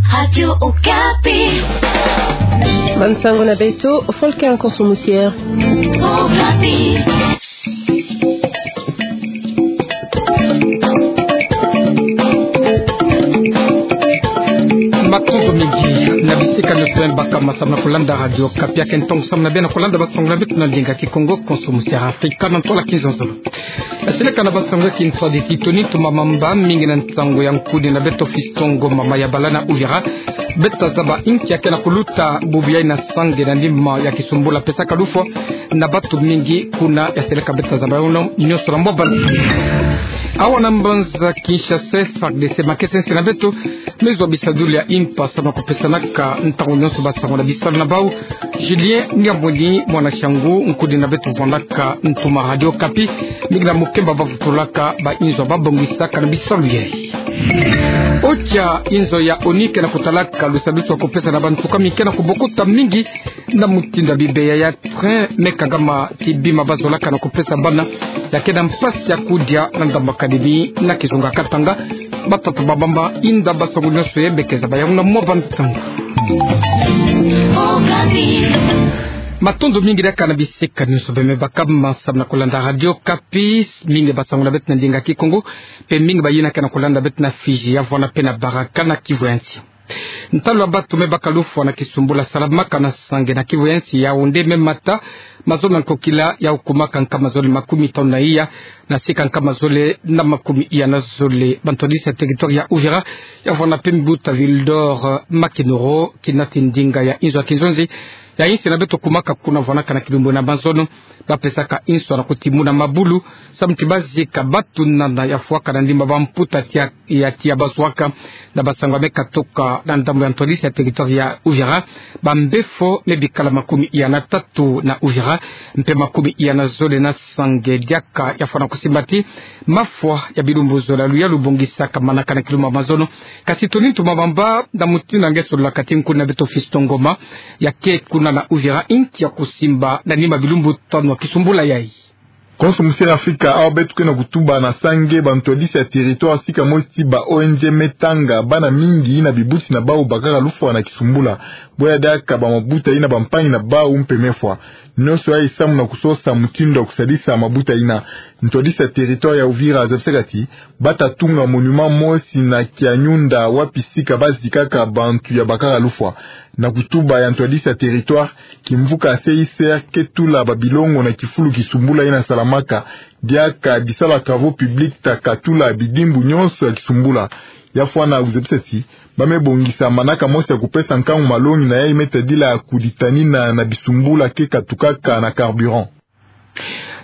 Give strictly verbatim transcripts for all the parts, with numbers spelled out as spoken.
Radio Okapi. Bansango na beto, Volker Nkonso Musiere. Okapi. Matondo mingi na bisika nyonso beno baka ma samu na kulanda Radio Okapi. Ake ntongo samu na beno kulanda bansango na beto na ndinga Kikongo, Nkonso Musiere Afrika na ntwala kizonzolo. Yaseleka na bansango ya kintwadisi toni tumamamba mingi na nsango ya nkudi na beto Fiston Ngoma, mama ya bala na Uvira. Beta zaba inki ya ke na kuluta bubu yayi na Sange na nima ya kisumbula pesaka lufwa na bantu mingi kuna. Yaseleka beta zaba yayi nyonso na mwa bana. Awa na mbanza Kinshasa, F A R D C makesa nsi na beto mezwa bisadulu ya impa samu na kupesanaka ntangu nyonso bansango na bisalu na bau. Julien Ngamboni, mwana Shangu, nkudi na beto vandaka ntuma Radio Okapi, mingi na mukemba bavutulaka bainzo babongisaka na bisalu yayi. Otia inzo ya ONU ke na kutalaka lusadusu ya kupesa na bantu kami ke na kubokota mingi na mutindu ya bibeya ya train me kangama ti bima bazolaka na kupesa bana ya ke na mpasi ya kudia na ndambu académie na kizunga Katanga. Batata bamama, inda bansango nyonso yayi beke zaba yawu na mwa bansango. Matondo mingi diaka na bisika nyonso beno me baka ma samu na kulanda Radio Okapi. Mingi bansango na beto na ndinga Kikongo, mpe mingi bayina ke na kulanda beto na Fidji, ya vwanda mpe na Baraka na Kivu ya Nsi. Ntalu ya bantu me baka lufwa na kisumbula salamaka na Sange na Kivu ya Nsi, Yaoundé, me mata mazono na nkokila ya ukumaka nkama zole makumi tanu na iya na sika nkama zole na makumi iya na zole. Bantwadisi ya territoire ya Uvira, ya vwanda mpe mbuta Wildor Makinoro, kinati ndinga ya inzo ya kinzonzi ya insi na beto kumaka kuna vwandaka na kilumbu na mazono, bapesaka inso na kutimuna mabulu samu ti bazika bantu nana ya fwaka na ndimba bamputa tia ya tia bazwaka. Na bansango ya me katoka na ndambu ya ntwadisi ya territoire ya Uvira, bambefo me bikala makumi iya na tatu na Uvira, mpe makumi iya na zole na Sange, diaka ya fwana kusimba ti mafwa ya bilumbu zola luyalu bongisaka manaka na kilumbu ya mazono. Kasi toni tumamamba na mutindu nge sololaka ti nkudi na beto Fiston Ngoma, ya ke kuna na Uvira, inki ya kusimba na nima bilumbu tanu ya kisumbula yayi. Nkonso Musiere Afrika, awa beto ke na kutuba na Sange, bantwadisi ya territoire sika mosi ba O N G me tanga bana mingi na bibuti na bau bakaka lufwa na kisumbula. Boya diaka bamabuta yina bampangi na bau mpe me fwa. Nyonso yayi samu na kusosa mutindu ya kusadisa mabuta yina. Ntwadisi ya territoire ya Uvira azabisaka ti bata tunga monument mosi na Kianyunda, wapi sika bazikaka bantu ya bakaka lufwa. Na kutuba ya ntwadisi ya territoire, kimvuka C I C R ke tula babilongo na kifulu kisumbula yina salamaka, diaka bisalu ya travaux publics ta katula bidimbu nyonso ya kisumbula. Ya fwana kuzebisa ti ba me bongisa manaka mosi ya kupesa nkangu malongi na yayi me tadila kuditanina na bisumbula ke katukaka na carburant.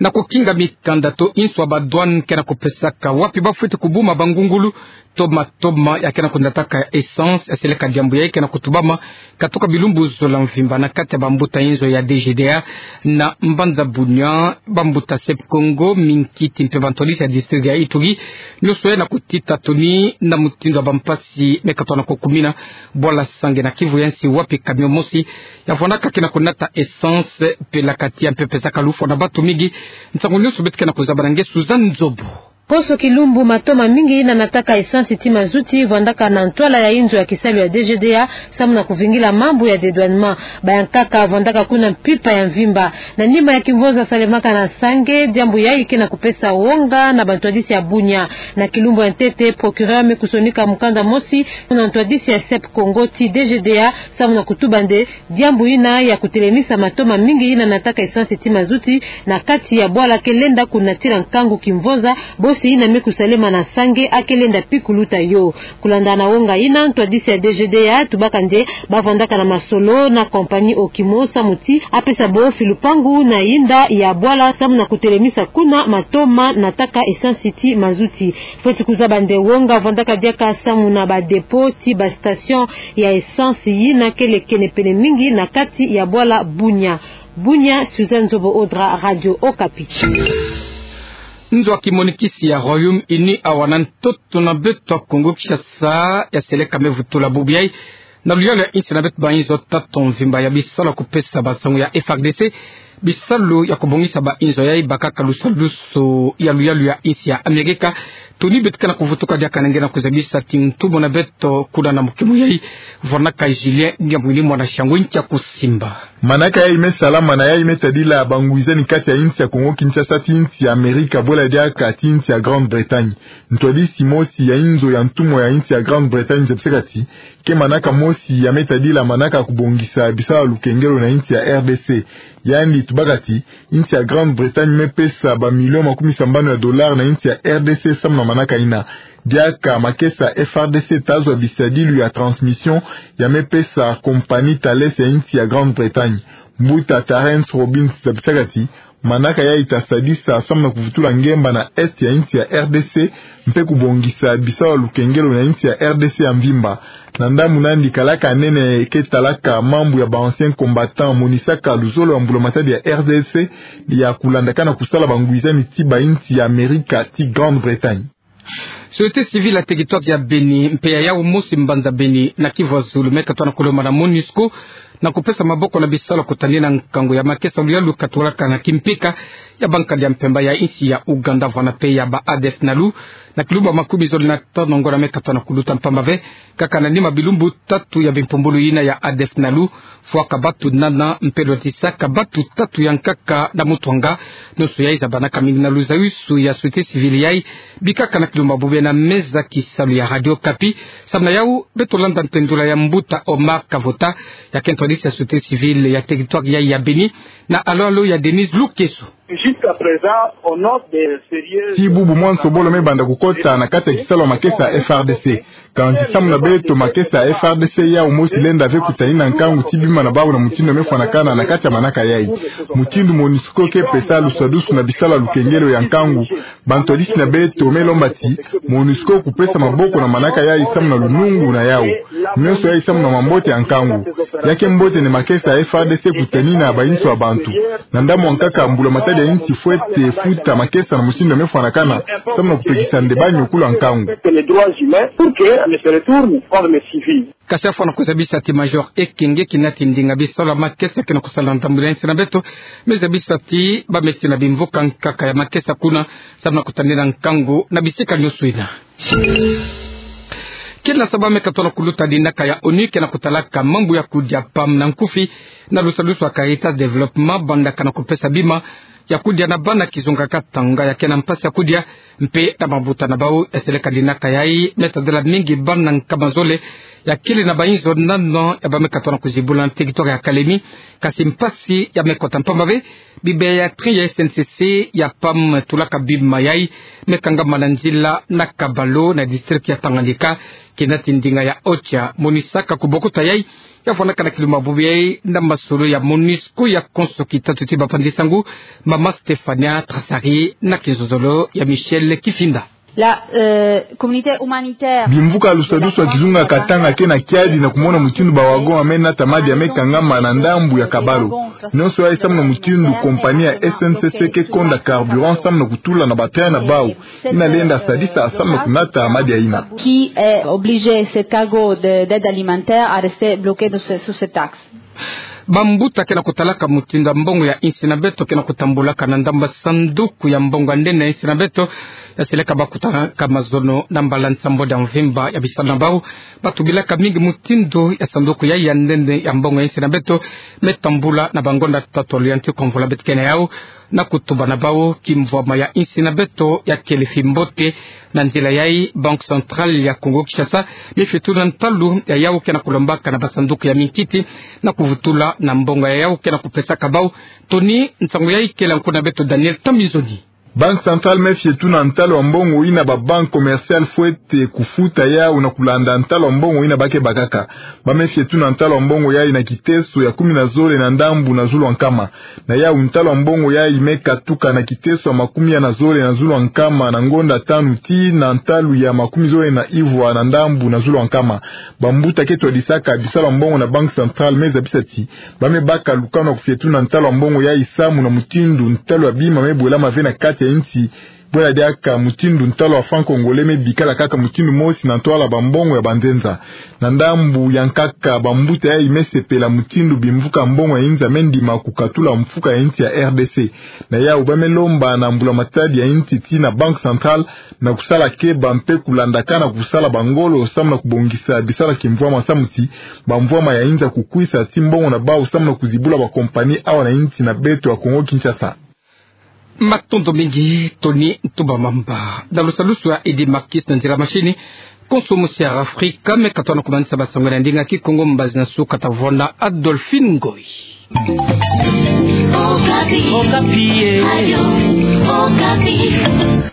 Na kukinga mikanda to inso ya ba douane ke na kupesaka wapi bafweti kubuma bangungulu to matoma ya ke na kunataka essence, yaseleka diambu yayi ke na kutubama katoka bilumbu zola mvimba na kati ya bambuta inzo ya D G D A na mbanza Bunia, bambuta Sep Kongo, minkiti mpe bantwadisi ya district ya Ituri, nyonso yayi na kutita toni na mutindu ya bampasi me katona kukumina bwala Sange na Kivu ya Nsi, wapi camion mosi ya vwandaka ke na kunata essence, pelaka tiya mpe pesaka lufwa na bantu mingi. Nsangu nyonso beto ke na kuzaba na nge Suzanne Nzobo. Poso kilumbu, matoma mingi yina nataka essence ti mazuti vwandaka na ntwala ya inzo ya kisalu ya D G D A samu na kuvingila mambu ya dédouanement. Bayankaka vwandaka kuna mpimpa ya mvimba. Na nima ya kimvonza salemaka na Sange, diambu yayi ke na kupesa wonga na bantwadisi ya Bunia. Na kilumbu ya ntete, procureur me kusonika mukanda mosi na ntwadisi ya Sep Kongo ti D G D A samu na kutuba nde diambu yina ya kutelemisa matoma mingi yina nataka essence ti mazuti na kati ya bwala ke lenda kunatila nkangu kimvonza bosi yina me kusalema na Sange, a ke lenda pi kuluta yo. Kulanda na wonga yina, ntwadisi ya D G D A atubaka nde bavwandaka na masolo na compagnie Okimo samu ti apesa bo filupangu na yinda ya bwala samu na kutelemisa kuna matoma nataka essence ti mazuti. Fweti kuzaba nde wonga vwandaka diaka samu na ba dépôt ti ba station ya essence yina kele kenepene mingi na kati ya bwala Bunia. Bunia, Suzanne Nzobo Odra, Radio Okapi. Nzo ya kimonikisi ya Royaume-Uni awa na ntoto na beto ya Kongo Kinshasa yaseleka me vutula bubu yayi na luyalu ya insi na beto ba inzo tatu mvimba ya bisalu ya kupesa bansangu ya F A R D C Bisalu ya kubongisa bainzo yai bakaka lusadusu ya luyalu ya insi ya Amerika. Tuni beto ke na kuvutuka diaka na nge na kuzabisa ti ntumwa na beto kuna na mukemo yai, vwanaka Julien Ngiamwini mwana Siango nkia kusimba. Manaka yai me salama na yai me tadila bangwizani kati ya insi ya Kongo Kinshasa ti insi ya Amerika, bwela diaka ti insi ya Grande-Bretagne. Ntwadisi mosi ya inzo ya ntumwa ya insi ya Grande-Bretagne zabisaka ti ke manaka mosi ya me tadila manaka kubongisa bisalu ya lukengelo na insi ya R D C. Yandi tubaka ti insi ya Grande-Bretagne me pesa ba million makumi sambanu ya dollars na insi ya R D C samu na manaka ina. Diaka makesa F R D C ta zwa bisadilu ya transmission ya me pesa compagnie Thales ya insi ya Grande-Bretagne. Mbuta Terence Robbins zabisaka ti manaka yai ta sadisa samu na kuvutula ngemba na est ya insi ya R D C, mpe kubongisa bisalu ya lukengelo na insi ya R D C ya mvimba. Na ndambu nandi kalaka nene ke talaka mambu ya ba anciens combattants, monisaka luzolo ya mbulamatadi ya R D C ya kulandakana kusala bangwizani ti bainsi ya Amerika ti Grande-Bretagne. Société civile ya territoire ya Beni mpe ya yawu mosi mbanza Beni na Kivu ya Zulu me katona kulomba na MONUSCO na kupesa maboko na bisalu ya kutanina nkangu ya makesa ya luyalu katulaka na kimpika ya bankadi ya mpemba ya insi ya Ouganda vwana mpe ya ba A D F Nalu. Na kilumbu makumi zole na tano ngiona me katona kuluta, mpamba ve kaka na nima bilumbu tatu ya bimpumbulu yina ya A D F Nalu, fwaka batu nana mpe lwatisaka batu tatu ya nkaka na mutwanga. Nionso yai zabanaka mingi na luzawisu ya société civile yai. Bikaka na kilumbu bubu na meza kisalu ya Radio Okapi. Samu na yawu, beto landa ntendula ya mbuta Omar Kavota, ya ke ntwadisi ya société civile ya territoire yai ya Beni, na alo-alo ya Denise Lukeso. Jusqu'à présent, on note des sérieux... Ti bubu mwanso bolo me banda kukota na kati ya kisalu ya makesa ya F R D C. Kansi samu na beto, makesa ya F R D C yawu mosi lenda ve kutanina nkangu ti bima na bawu na mutindu me fwanakana na kati ya manaka yai. Mutindu MONUSCO ke pesa lusadusu na bisalu ya lukengelo ya nkangu, bantwadisi na beto me lomba ti MONUSCO kupesa maboko na manaka yai samu na lunungu na yawu. Nionso yai samu na mambote ya nkangu. Ya ke mbote nde makesa ya F R D C kutanina bainso ya bantu. Na ndambu ya nkaka, mbulamatadi ya insi fwete futa makesa na mutindu me fwanakana samu na kupekisa nde banyo kula nkangu. Que les droits humains pour que on se retourne comme les civils. Kasi afwana kuzabisa ti Major Ekenge, kina ti ndinga bisalu ya makesa ke na kusala na ntambula ya insi na beto, me zabisa ti ba me ti na bimvuka nkaka ya makesa kuna samu na kutanina nkangu na bisika nionso yina. Kina sa ba me katona kuluta, dinaka ya ONU ke na kutalaka mambu ya kudia, PAM na nkufi, na lusadusu ya Caritas Développement, bandaka na kupesa bima ya kudia na bana kizunga Katanga ya ke na mpasi ya kudia, mpe na mambuta na bawu. Eseleka dinaka yai me tadila mingi bana nkama zole ya kele na bainzo nana ya ba me katona kuzibula na territoire ya Kalemie. Kasi mpasi ya me kota, mpamba ve bibe ya train ya S N C C ya PAM tulaka bima yai me kangama na nzila na Kabalo na district ya Tanganyika. Kina ti ndinga ya OCHA monisaka kubokuta yai. Ya fwanaka na kilumbu bubu yai na masolo ya MONUSCO ya konso kitatu ti bapanzi nsangu, mama Stefania Trasari na kizozolo ya Michel Kifinda. La, euh, communauté humanitaire. Bimvuka lusadusu ya kizunga Katanga ke na kiadi na kumona mutindu ba wagon ya me nata madi ya me kangama na ndambu ya Kabalo. Nionso yai samu na mutindu compagnie ya S N C C ke konda carburant samu na kutula na ba train na bawu yina lenda sadisa samu na kunata madi yayina. Qui est obligé, ce cargo de, d'aide alimentaire, à rester bloqué dans ce, sous cet axe. Bambuta ke na kutalaka mutindu ya mbongo ya insi na beto ke na kutambulaka na ndambu ya sanduku ya mbongo ya nene ya insi na beto, ya seleka bakutanaka mazono na mbala nsambwadi ya mvimba ya bisalu na bawu. Batubilaka mingi mutindu ya sanduku yai ya nene ya mbongo ya insi na beto me tambula na bangonda tatolo ya nti kwa mvula beto ke na yawu. Na kutuba na bawu, kimvwama ya insi na beto ya kele fimbote. Na nzila yai, Banque Centrale ya Congo Kinshasa me fie tuna ntalu ya yawu ke na kulombaka na basanduku ya minkiti na kuvutula na mbongo ya yawu ke na kupesaka bawu. Toni nsangu yai kele nkuna beto Daniel Tambizoni. Banque Centrale me fie tuna ntalu ya mbongo yina ba banque commerciale fwete kufuta yawu na kulanda ntalu ya mbongo yina ba ke bakaka. Ba me fie tuna ntalu ya mbongo yai na kiteso ya kumi na zole na ndambu na zulu ya nkama. Na yawu ntalu ya mbongo yai me katuka na kiteso ya makumi ya na zole na zulu ya nkama na ngonda tanu tii na ntalu ya makumi zole na ivwa na ndambu na zulu ya nkama. Bambuta ke twadisaka bisalu ya mbongo na Banque Centrale me zabisa ti ba me baka lukanu ya kufie tuna ntalu ya mbongo yai samu na mutindu ntalu ya bima me bwelama ve na kati ya insi Bwela diaka mutindu ntalo ya franc congolais me bikala kaka mutindu mosi na ntwala bambongo ya banzenza. Na ndambu ya nkaka, bambuta yayi me sepela mutindu bimvuka mbongo ya inza me ndima kukatula mfuka ya insi ya R D C. Na yawu ba me lomba na mbula matadi ya insi tii na Banque Centrale na kusala keba mpe kulandakana kusala ba ngolo samu na kubongisa bisalaki mvwama samu ti bamvwama ya inza kukwisa tii mbongo na bawu samu na kuzibula ba compagnie awa na insi na beto ya Congo Kinshasa. Matondo mingi, Tony Ntumba Mamba. Na lusalusu ya Eddy Marquis na nzila machine, konso mosi ya Afrika me katona kumanisa ba sango na ndinga Kikongo, mbazi na suka tavona Adolphine Ngoy. Okapi. Okapi, eh. Radio Okapi.